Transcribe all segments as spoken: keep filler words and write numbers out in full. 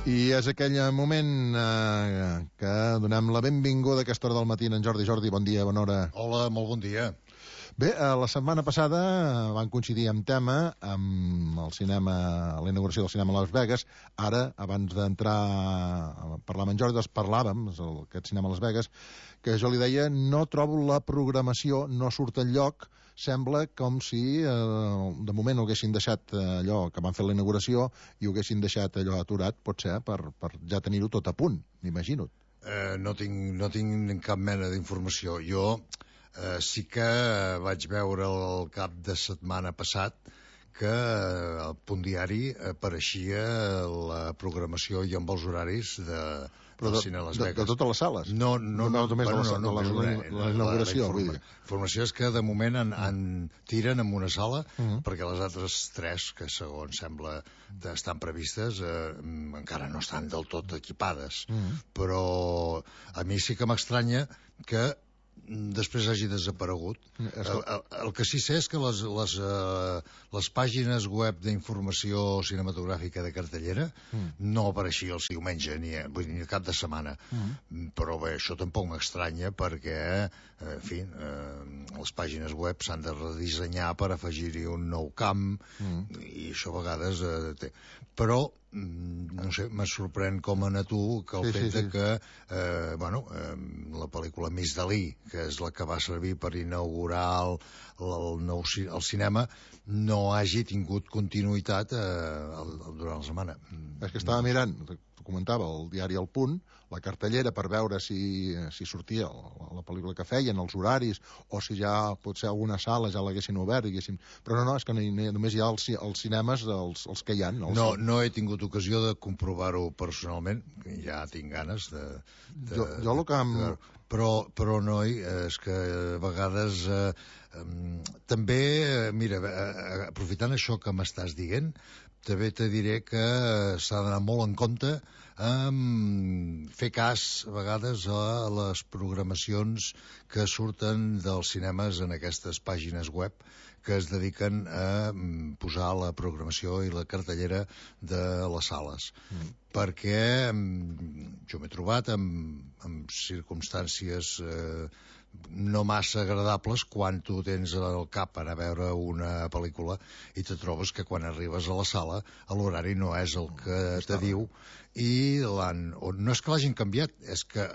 I és aquell moment eh, que donem la benvinguda a aquesta hora del matí en Jordi. Jordi, bon dia, bona hora. Hola, molt bon dia. Bé, eh, la setmana passada van coincidir en tema amb el cinema, la inauguració del cinema a Las Vegas. Ara, abans d'entrar a parlar amb en Jordi, doncs parlàvem, aquest cinema a Las Vegas, que jo li deia, no trobo la programació, no surt enlloc. Sembla com si eh, de moment ho haguessin deixat allò que van fer la inauguració i ho haguessin deixat allò aturat, potser, per, per ja tenir-ho tot a punt, m'imagino. Eh, no, tinc, no tinc cap mena d'informació. Jo eh, sí que vaig veure el cap de setmana passat que al Punt Diari apareixia la programació i amb els horaris de, Però del de, cine a Las de, Vegas. de totes les sales? No, no, no, no, només bueno, de la, no, no, de la, la, la inauguració. La, la, la informació és que de moment en, en tiren en una sala uh -huh. perquè les altres tres, que segons sembla estan previstes, eh, encara no estan del tot equipades. Uh -huh. Però a mi sí que m'estranya que després hagi desaparegut. El, el, el que sí sé és que les, les, uh, les pàgines web d'informació cinematogràfica de cartellera mm. no apareixia els diumenge ni, vull dir, ni el cap de setmana. Mm. Però bé, això tampoc m'estranya perquè, en fi, uh, les pàgines web s'han de redissenyar per afegir-hi un nou camp mm. i això a vegades uh, té. Però no sé, me sorprèn com a tu que el sí, fet sí, sí. de que eh, bueno, eh, la pel·lícula Miss Dalí, que és la que va servir per inaugurar el, el, nou, el cinema, no hagi tingut continuïtat eh, durant la setmana. És que estava mirant, t'ho comentava, el diari El Punt, la cartellera per veure si, si sortia la, la pel·lícula que feien, els horaris, o si ja potser alguna sala ja l'haguessin obert, haguessin... però no, no, és que no, no, només hi ha els, els cinemes, els, els que hi ha. Els... No, no he tingut ocasió de comprovar-ho personalment, ja tinc ganes de... de jo, jo el que... Amb... De, però, però noi, és que a vegades eh, eh, també, mira, eh, aprofitant això que m'estàs dient, també te diré que s'ha d'anar molt en compte amb fer cas a vegades a les programacions que surten dels cinemes en aquestes pàgines web que es dediquen a posar la programació i la cartellera de les sales. Mm. Perquè jo m'he trobat amb, amb circumstàncies eh, no massa agradables quan tu tens al cap anar a veure una pel·lícula i te trobes que quan arribes a la sala l'horari no és el que te diu i l'han, o no és que l'hagin canviat, és que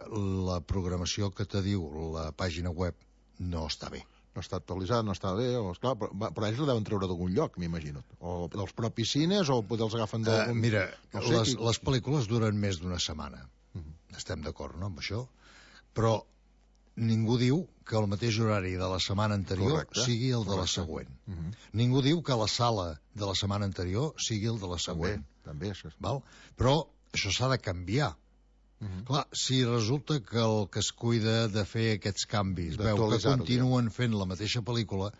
la programació que te diu la pàgina web no està bé. No està actualitzat, no està bé, o, esclar, però, però ells la deuen treure d'algun lloc, m'imagino. O dels propis cines, o potser els agafen d'algun... Uh, mira, no sé, les, qui... les pel·lícules duren més d'una setmana. Uh -huh. Estem d'acord, no?, amb això? Però ningú diu que el mateix horari de la setmana anterior correcte, sigui el de correcte. La següent. Uh -huh. Ningú diu que la sala de la setmana anterior sigui el de la següent. També, també això és... Val? Però això s'ha de canviar. Uh -huh. Clar, si resulta que el que es cuida de fer aquests canvis veu que continuen fent la mateixa pel·lícula,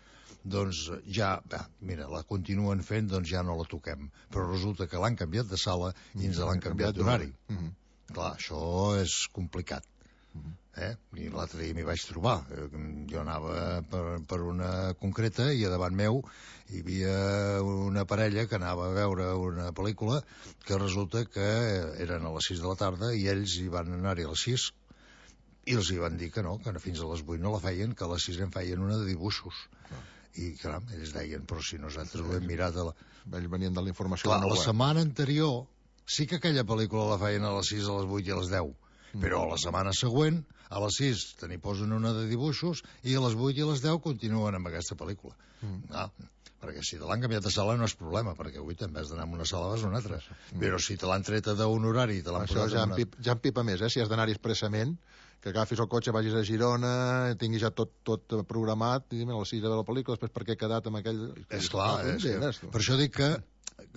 doncs ja, bé, mira, la continuen fent, doncs ja no la toquem. Però resulta que l'han canviat de sala i ens l'han canviat d'horari. Uh -huh. Clar, això és complicat. Uh -huh. Eh? I l'altre dia m'hi vaig trobar. Jo anava per, per una concreta i a davant meu hi havia una parella que anava a veure una pel·lícula que resulta que eren a les sis de la tarda i ells hi van anar-hi a les sis i els hi van dir que no, que fins a les vuit no la feien, que a les sis en feien una de dibuixos. Ah. I caram, ells deien, però si nosaltres ho hem mirat a la... ells venien de la informació. Clar, la setmana anterior sí que aquella pel·lícula la feien a les sis, a les vuit i a les deu, però la setmana següent a les sis te n'hi posen una de dibuixos i a les vuit i a les deu continuen amb aquesta pel·lícula. Mm. Ah, perquè si te l'han canviat de sala no és problema, perquè avui també has d'anar a una sala vas a una altra. Mm. Però si te l'han treta d'un horari i te l'han posat ja en una... Pip, ja en pipa més, eh? Si has d'anar-hi expressament, que agafis el cotxe, vagis a Girona, tinguis ja tot, tot programat, i a les sis de la pel·lícula, després per què he quedat amb aquell... És clar, és que, per això dic que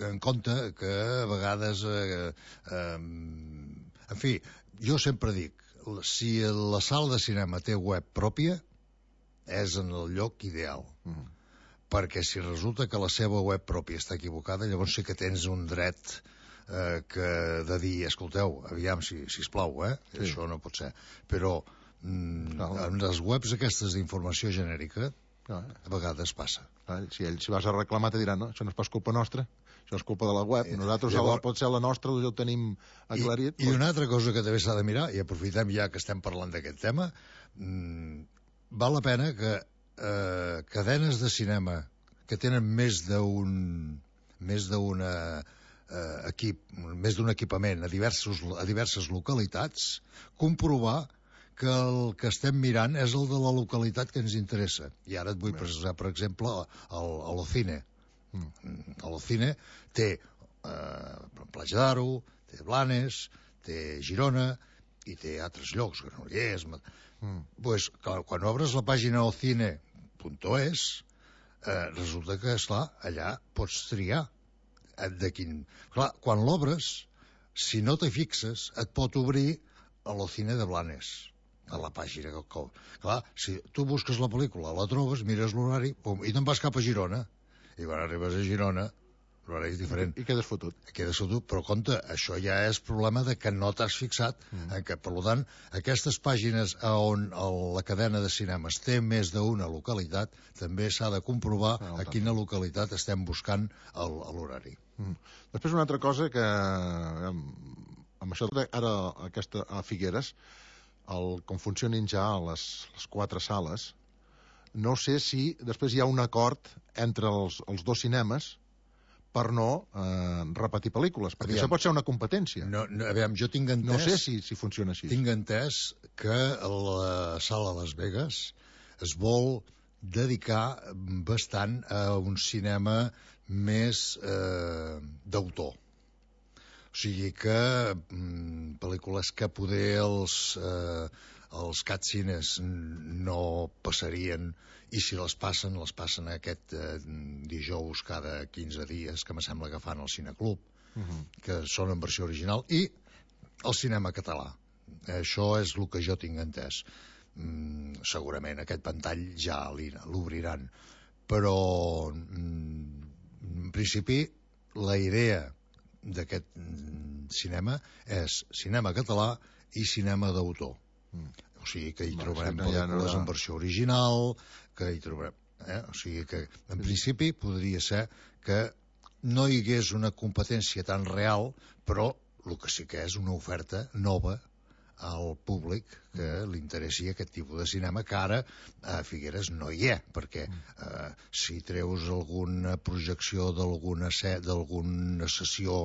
en compte que a vegades eh, eh, en fi, jo sempre dic, si la sala de cinema té web pròpia és en el lloc ideal. Uh -huh. Perquè si resulta que la seva web pròpia està equivocada, llavors sí que tens un dret eh, que de dir, escolteu, aviam, si, sisplau, eh? Sí. Això no pot ser. Però mm, en les webs aquestes d'informació genèrica Ah, a vegades passa. ah, si ells si vas a reclamar te diran, no, això no és pas culpa nostra, això és culpa de la web, nosaltres Llavors, la, pot ser la nostra, ja ho tenim aclarit. I, i una altra cosa que també s'ha de mirar, i aprofitem ja que estem parlant d'aquest tema, mmm, val la pena que eh, cadenes de cinema que tenen més d'un més d'una eh, equip, més d'un equipament a, diversos, a diverses localitats, comprovar que el que estem mirant és el de la localitat que ens interessa. I ara et vull precisar, per exemple, el, el Ocine. Mm. L'Ocine té eh, Platja d'Aro, té Blanes, té Girona i té altres llocs, Granollers. Mm. Pues, quan, quan obres la pàgina ocine punt es, eh, resulta que, esclar, allà pots triar de quin... Clar, quan l'obres, si no t'hi fixes, et pot obrir a l'Ocine de Blanes, a la pàgina. Clar, si tu busques la pel·lícula, la trobes, mires l'horari, pum, i te'n vas cap a Girona. I quan arribes a Girona, l'horari és diferent. I quedes fotut. I quedes fotut, però compte, això ja és problema de que no t'has fixat, mm. en que, per tant, aquestes pàgines on la cadena de cinemes té més d'una localitat, també s'ha de comprovar ah, a quina localitat estem buscant l'horari. Mm. Després una altra cosa que, amb això ara aquesta, a Figueres, el, com funcionin ja les, les quatre sales, no sé si després hi ha un acord entre els, els dos cinemes per no eh, repetir pel·lícules, perquè aviam, això pot ser una competència. No, no, aviam, jo tinc entès... No sé si, si funciona així. Tinc entès que la sala Las Vegas es vol dedicar bastant a un cinema més eh, d'autor. O sigui que mm, pel·lícules que poder els, eh, els catcines no passarien, i si les passen, les passen aquest eh, dijous cada quinze dies, que me sembla que fan al Cineclub, uh -huh. que són en versió original, i el cinema català. Això és el que jo tinc entès. Mm, segurament aquest ventall ja l'obriran, però mm, en principi la idea d'aquest cinema és cinema català i cinema d'autor. Mm. O sigui que hi trobarem no, pel·lícules no en versió original, que hi trobarem... Eh? O sigui que, en principi, podria ser que no hi hagués una competència tan real, però el que sí que és una oferta nova al públic que li interessi aquest tipus de cinema, que ara a Figueres no hi ha, perquè eh, si treus alguna projecció d'alguna set, d'alguna sessió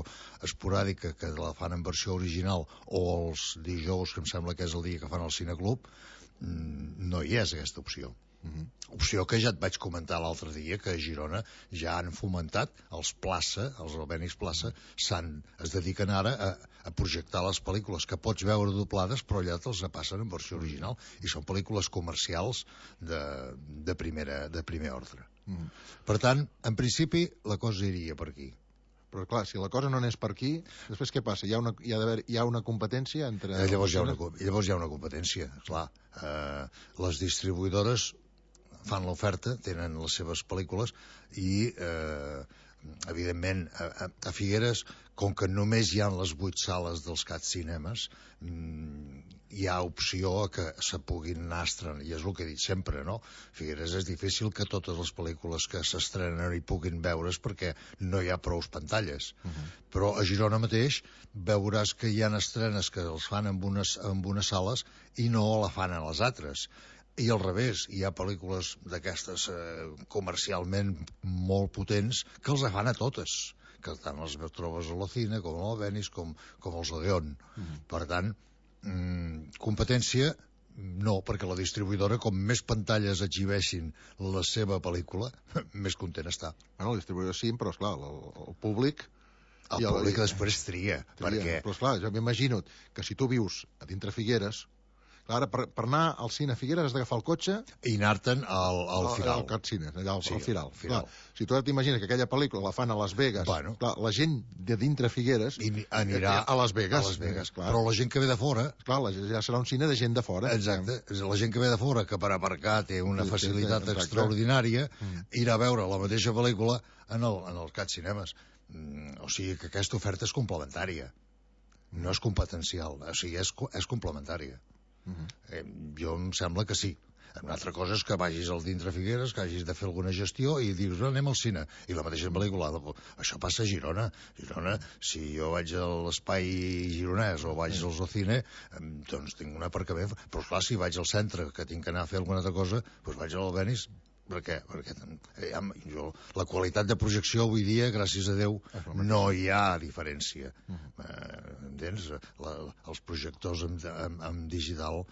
esporàdica que la fan en versió original, o els dijous, que em sembla que és el dia que fan al Cineclub, no hi és aquesta opció. Uh-huh. Opció que ja et vaig comentar l'altre dia, que a Girona ja han fomentat els Plaça, els Albéniz Plaça, s'han, es dediquen ara a, a projectar les pel·lícules que pots veure doblades, però allà te'ls passen en versió original, i són pel·lícules comercials de, de, primera, de primer ordre. Uh-huh. Per tant, en principi, la cosa iria per aquí. Però clar, si la cosa no n'és per aquí, després què passa? Hi ha una, hi ha d'haver, hi ha una competència entre... Eh, llavors, hi ha una, llavors hi ha una competència, clar. Eh, les distribuïdores fan l'oferta, tenen les seves pel·lícules i, eh, evidentment, a, a Figueres, com que només hi ha les vuit sales dels Cat Cinemes, hi ha opció a que se puguin anar estrenant, i és el que he dit sempre, no? Figueres és difícil que totes les pel·lícules que s'estrenen hi puguin veure's perquè no hi ha prous pantalles. Uh-huh. Però a Girona mateix veuràs que hi ha estrenes que els fan en unes, en unes sales i no la fan en les altres. I al revés, hi ha pel·lícules d'aquestes eh, comercialment molt potents que els fan a totes, que tant les trobes a l'Ocine com a l'Albéniz com, com els Odeon. Mm. Per tant, mmm, competència no, perquè la distribuïdora, com més pantalles exhibeixin la seva pel·lícula, més content està. Bueno, la distribuïdora sí, però esclar, el, el públic... El públic el... després tria, tria, perquè... Però esclar, jo m'imagino que si tu vius a dintre Figueres... Ara, per, per anar al cine a Figueres has d'agafar el cotxe... I anar-te'n al, al Firal. Al Cat Cine, allà al, sí, al Firal. Firal. Clar, si tu ara t'imagines que aquella pel·lícula la fan a Las Vegas, bueno. clar, la gent de dintre Figueres... I anirà a Las Vegas. A Las Vegas, clar. Però la gent que ve de fora... Clar, ja serà un cine de gent de fora. Exacte. La gent que ve de fora, que per aparcar té una sí, facilitat sí, extraordinària, mm. irà a veure la mateixa pel·lícula en el, en el Cat Cinemes. Mm, o sigui que aquesta oferta és complementària. No és competencial, o sigui, és, és complementària. Uh-huh. eh, jo em sembla que sí. Una altra cosa és que vagis al dintre Figueres, que hagis de fer alguna gestió i dius, no, anem al cine. I la mateixa pel·lícula. Això passa a Girona. Girona, si jo vaig a l'espai gironès o vaig al Zocine, doncs tinc un aparcament. Però clar, si vaig al centre, que tinc que anar a fer alguna altra cosa, doncs vaig a l'Albenis. Per què? Perquè ja, jo, la qualitat de projecció avui dia, gràcies a Déu, no hi ha diferència. Uh-huh. eh, entens? La, els projectors en, en, en digital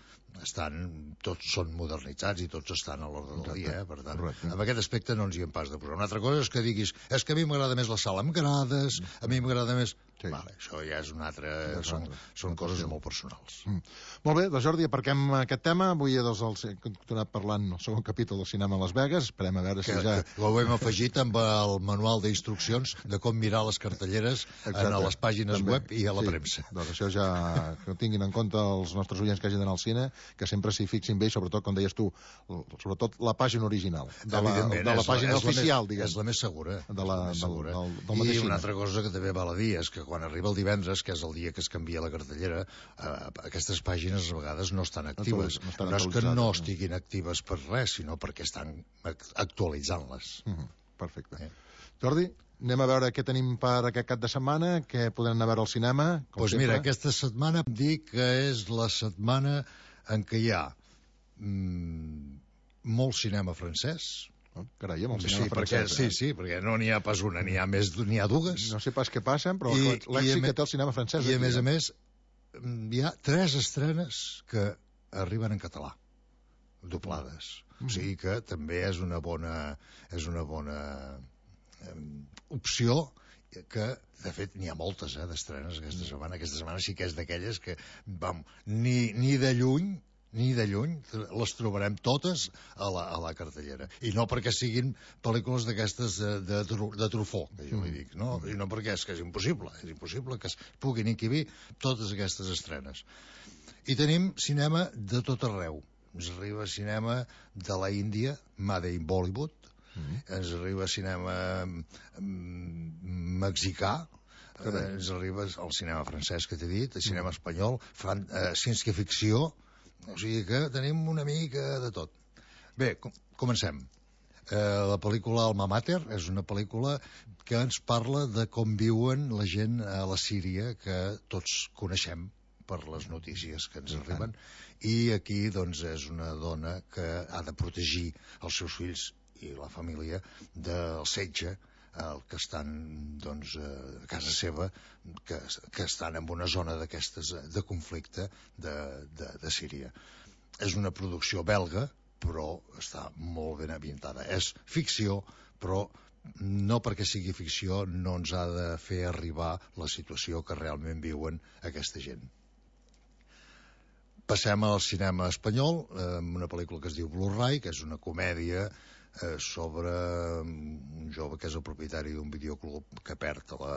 estan, tots són modernitzats i tots estan a l'ordre del dia, eh? Per tant, correcte. En aquest aspecte no ens hi hem pas de posar. Una altra cosa és que diguis, és que a mi m'agrada més la sala amb grades, a mi m'agrada més... Sí. Vale, això ja és una altra... Ja són, són coses molt personals. Mm. Molt bé, doncs Jordi, aparquem aquest tema. Avui doncs, els, hem continuat parlant el segon capítol del cinema a Las Vegas. Esperem a veure que, si ja... Que ho hem afegit amb el manual d'instruccions de com mirar les cartelleres a les pàgines també. Web i a la sí. premsa. Doncs això ja que ho tinguin en compte els nostres oients que hagin d'anar al cine, que sempre s'hi fixin bé i sobretot, com deies tu, sobretot la pàgina original. De la, de la pàgina la, oficial, més, diguem. És la més segura. De la, més segura. Del, del, del I cine. una altra cosa que també val a dir és que quan arriba el divendres, que és el dia que es canvia la cartellera, eh, aquestes pàgines a vegades no estan actives. No, no és que no estiguin actives per res, sinó perquè estan actualitzant-les. Uh-huh. Perfecte. Eh? Jordi, anem a veure què tenim per aquest cap de setmana, què podem anar a veure al cinema. Doncs pues mira, aquesta setmana em dic que és la setmana en què hi ha mm, molt cinema francès. Oh, carai, amb el cinema sí, francès. Perquè, eh? Sí, sí, perquè no n'hi ha pas una, n'hi ha més, n'hi ha dues. No sé pas què passen, però l'èxit que té el cinema francès... I a més a més, hi ha tres estrenes que arriben en català, doblades. Mm. O sigui que també és una bona, és una bona eh, opció que, de fet, n'hi ha moltes eh, d'estrenes aquesta setmana. Aquesta setmana sí que és d'aquelles que, vam, ni, ni de lluny ni de lluny, les trobarem totes a la, a la cartellera. I no perquè siguin pel·lícules d'aquestes de, de, de Truffaut, que jo li dic, no? I no perquè és que és impossible, és impossible que es puguin inquibir totes aquestes estrenes. I tenim cinema de tot arreu. Ens arriba cinema de la Índia, Made in Bollywood, mm-hmm. ens arriba cinema mexicà, eh, ens arriba el cinema francès que t'he dit, el cinema espanyol, fan, eh, ciència-ficció. O sigui que tenim una mica de tot. Bé, com comencem. Eh, la pel·lícula Alma Mater és una pel·lícula que ens parla de com viuen la gent a la Síria, que tots coneixem per les notícies que ens arriben. I aquí, doncs, és una dona que ha de protegir els seus fills i la família del setge el que estan doncs, a casa seva, que, que estan en una zona d'aquestes de conflicte de, de, de Síria. És una producció belga, però està molt ben ambientada. És ficció, però no perquè sigui ficció no ens ha de fer arribar la situació que realment viuen aquesta gent. Passem al cinema espanyol, amb una pel·lícula que es diu Blu-ray, que és una comèdia Eh, sobre un jove que és el propietari d'un videoclub que perd a la,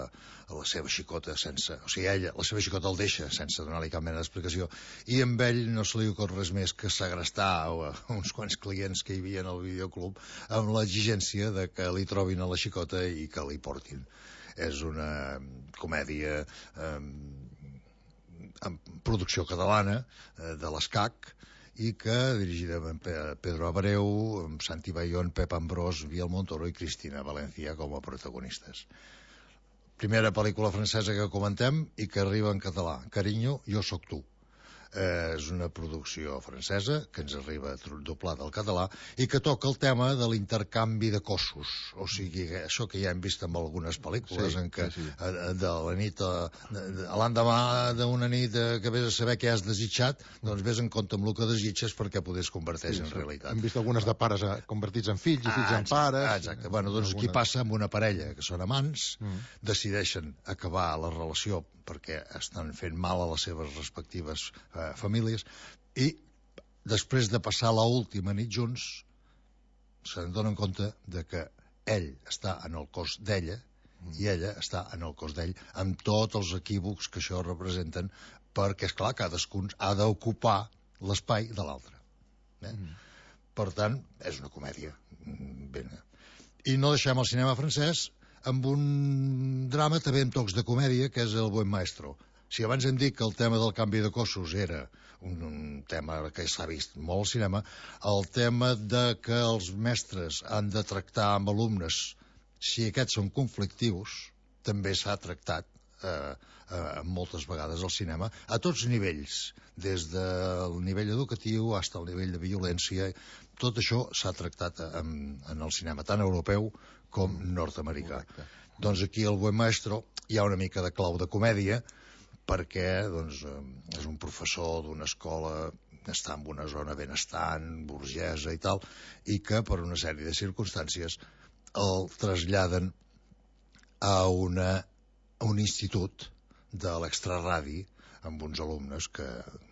a la seva xicota sense... O sigui, ella, la seva xicota el deixa sense donar-li cap mena d'explicació i amb ell no se li ocorre res més que segrestar a uns quants clients que hi havia al videoclub amb l'exigència de que li trobin a la xicota i que li portin. És una comèdia eh, amb producció catalana eh, de l'Escac i que dirigida amb Pedro Abreu, amb Santi Bayón, Pep Ambrós, Biel Montoro i Cristina Valencia com a protagonistes. Primera pel·lícula francesa que comentem i que arriba en català, Cariño, jo soc tu. Eh, és una producció francesa que ens arriba doblada al català i que toca el tema de l'intercanvi de cossos, o sigui, això que ja hem vist en algunes pel·lícules, sí, en què sí, sí. A, de la nit a, a l'endemà d'una nit a, que vés a saber què has desitjat, doncs vés en compte amb el que desitges perquè poder converteix sí, en realitat. Hem vist algunes de pares a, convertits en fills i fills ah, en exacte, pares. Ah, exacte, bueno, doncs alguna... aquí passa amb una parella que són amants, mm. decideixen acabar la relació perquè estan fent mal a les seves respectives eh, famílies i després de passar l'última nit junts se'n donen compte de que ell està en el cos d'ella mm. i ella està en el cos d'ell amb tots els equívocs que això representen perquè, esclar, cadascun ha d'ocupar l'espai de l'altre. Eh? Mm. Per tant, és una comèdia. Ben... I no deixem el cinema francès amb un drama també amb tocs de comèdia, que és El buen maestro. Si abans hem dit que el tema del canvi de cossos era un, un tema que s'ha vist molt al cinema, el tema de que els mestres han de tractar amb alumnes si aquests són conflictius, també s'ha tractat eh, eh, moltes vegades al cinema, a tots nivells, des del nivell educatiu fins al nivell de violència. Tot això s'ha tractat en, en el cinema, tant europeu com nord-americà. Correcte. Doncs aquí al Buen Maestro hi ha una mica de clau de comèdia, perquè doncs, és un professor d'una escola que està en una zona benestant, burgesa i tal, i que per una sèrie de circumstàncies el traslladen a, una, a un institut de l'extraradi amb uns alumnes que,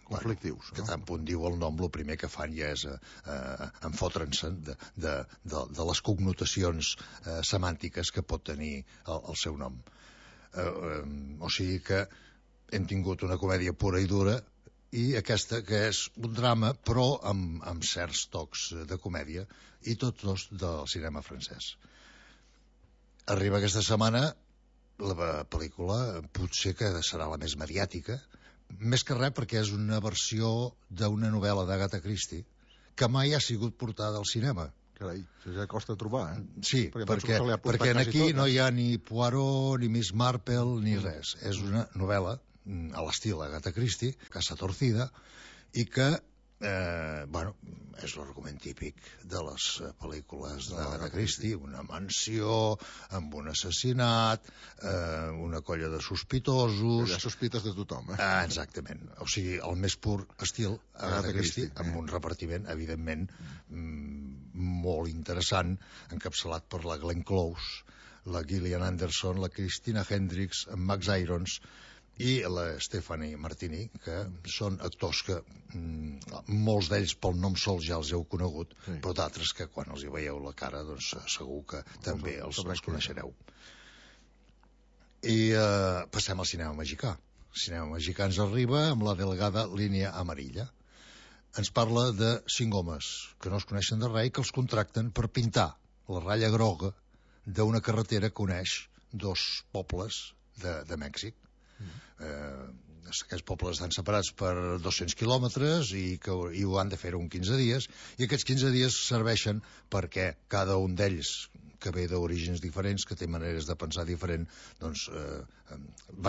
conflictius, bueno, que no? tant punt diu el nom, el primer que fan ja és eh, eh, enfotre'n-se de, de, de, de les connotacions eh, semàntiques que pot tenir el, el seu nom. Eh, eh, o sigui que hem tingut una comèdia pura i dura, i aquesta que és un drama però amb, amb certs tocs de comèdia, i tots dos del cinema francès. Arriba aquesta setmana la pel·lícula, potser que serà la més mediàtica, més que res perquè és una versió d'una novel·la d'Agatha Christie que mai ha sigut portada al cinema. Carai, això ja costa trobar, eh? Sí, perquè, perquè, perquè aquí tot, no hi ha ni Poirot, ni Miss Marple, ni res. És una novel·la a l'estil Agatha Christie, Casa Torcida, i que, eh, bueno, és l'argument típic de les pel·lícules d'Agatha Christie, una mansió amb un assassinat, eh, una colla de sospitosos... Ja sospites de tothom, eh? Ah, exactament. O sigui, el més pur estil Agatha Christie, amb un repartiment, evidentment, mm, molt interessant, encapçalat per la Glenn Close, la Gillian Anderson, la Christina Hendricks, en Max Irons i la Stephanie Martini, que són actors que mm, molts d'ells pel nom sol ja els heu conegut, sí, però d'altres que quan els hi veieu la cara doncs segur que també els, els coneixereu. I eh, passem al cinema mexicà. El cinema mexicà ens arriba amb la delgada línia amarilla. Ens parla de cinc homes que no es coneixen de res i que els contracten per pintar la ratlla groga d'una carretera que uneix dos pobles de, de Mèxic. Eh, aquests pobles estan separats per dos-cents quilòmetres i, que, i ho han de fer en quinze dies, i aquests quinze dies serveixen perquè cada un d'ells, que ve d'orígens diferents, que té maneres de pensar diferent, doncs eh,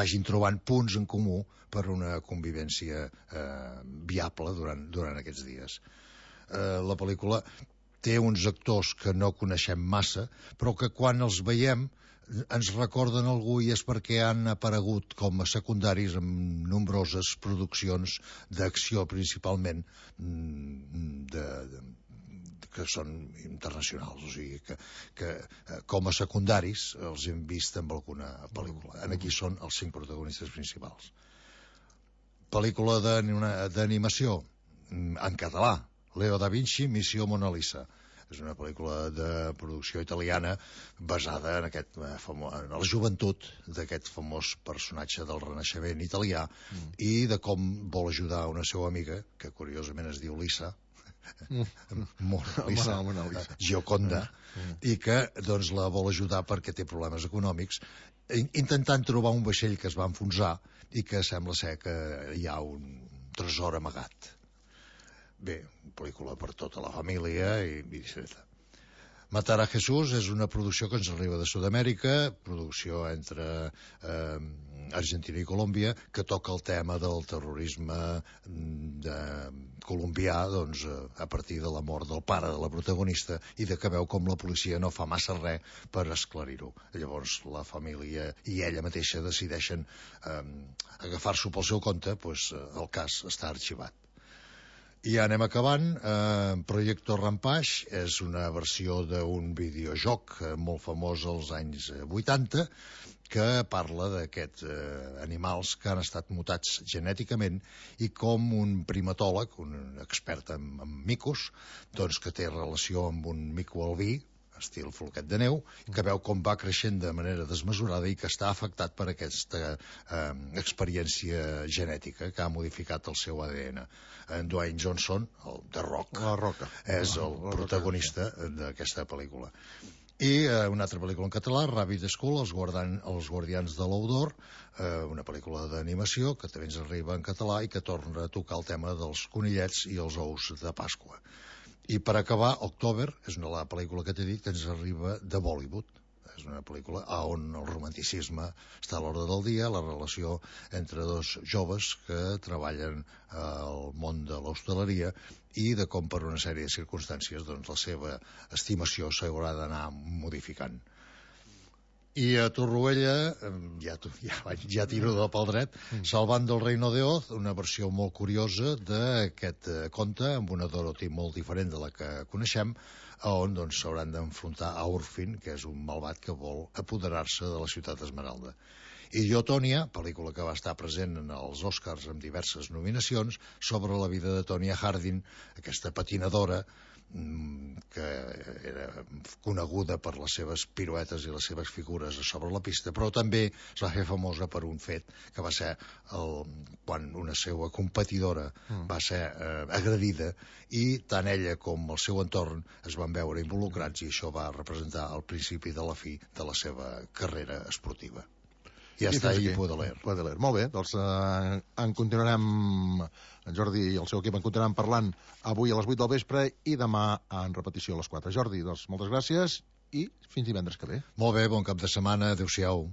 vagin trobant punts en comú per una convivència eh, viable durant, durant aquests dies. Eh, la pel·lícula té uns actors que no coneixem massa, però que quan els veiem ens recorden algú, i és perquè han aparegut com a secundaris en nombroses produccions d'acció, principalment de, de, que són internacionals, o sigui que, que com a secundaris els hem vist en alguna pel·lícula. Aquí són els cinc protagonistes principals. Pel·lícula d'animació en català, Leo da Vinci, Missió Mona Lisa. És una pel·lícula de producció italiana basada en, aquest, en la joventut d'aquest famós personatge del Renaixement italià, mm. i de com vol ajudar una seva amiga, que curiosament es diu Lisa, mm. Mona Lisa, Mona Lisa. Gioconda, mm. i que doncs, la vol ajudar perquè té problemes econòmics, intentant trobar un vaixell que es va enfonsar i que sembla ser que hi ha un tresor amagat. Bé, pel·lícula per tota la família i viceversa. Matar a Jesús és una producció que ens arriba de Sud-amèrica, producció entre eh, Argentina i Colòmbia, que toca el tema del terrorisme de colombià, doncs, a partir de la mort del pare de la protagonista i de que veu com la policia no fa massa res per esclarir-ho. Llavors la família i ella mateixa decideixen eh, agafar-s'ho pel seu compte, doncs el cas està arxivat. I ja anem acabant. Eh, Projecto Rampage és una versió d'un videojoc molt famós als anys vuitanta que parla d'aquests eh, animals que han estat mutats genèticament i com un primatòleg, un expert en, en micos, doncs que té relació amb un mico albí, estil floquet de neu, que veu com va creixent de manera desmesurada i que està afectat per aquesta eh, experiència genètica que ha modificat el seu A D N. En Dwayne Johnson, el The Rock, la Roca, és el la protagonista d'aquesta pel·lícula. I eh, una altra pel·lícula en català, Rabbit School, els, guardan, els guardians de l'Oudor, eh, una pel·lícula d'animació que també ens arriba en català i que torna a tocar el tema dels conillets i els ous de Pasqua. I per acabar, October és una la pel·lícula que t'he dit que ens arriba de Bollywood. És una pel·lícula on el romanticisme està a l'ordre del dia, la relació entre dos joves que treballen al món de l'hostaleria i de com per una sèrie de circumstàncies doncs, la seva estimació s'haurà d'anar modificant. I a Torroella, ja, ja, ja tiro de pel dret, mm. Salvando el Reino de Oz, una versió molt curiosa d'aquest conte, amb una Dorothy molt diferent de la que coneixem, on doncs, s'hauran d'enfrontar a Urfin, que és un malvat que vol apoderar-se de la ciutat Esmeralda. I Jo, Tònia, pel·lícula que va estar present en els Oscars amb diverses nominacions, sobre la vida de Tonya Harding, aquesta patinadora que era coneguda per les seves piruetes i les seves figures sobre la pista, però també es va fer famosa per un fet que va ser el, quan una seva competidora mm. va ser eh, agredida i tant ella com el seu entorn es van veure involucrats i això va representar el principi de la fi de la seva carrera esportiva. Ja I està, i Baudelaire. Baudelaire. Molt bé, doncs eh, en continuarem, en Jordi i el seu equip en continuaran parlant avui a les vuit del vespre i demà en repetició a les quatre. Jordi, doncs moltes gràcies i fins divendres que ve. Molt bé, bon cap de setmana, adéu-siau.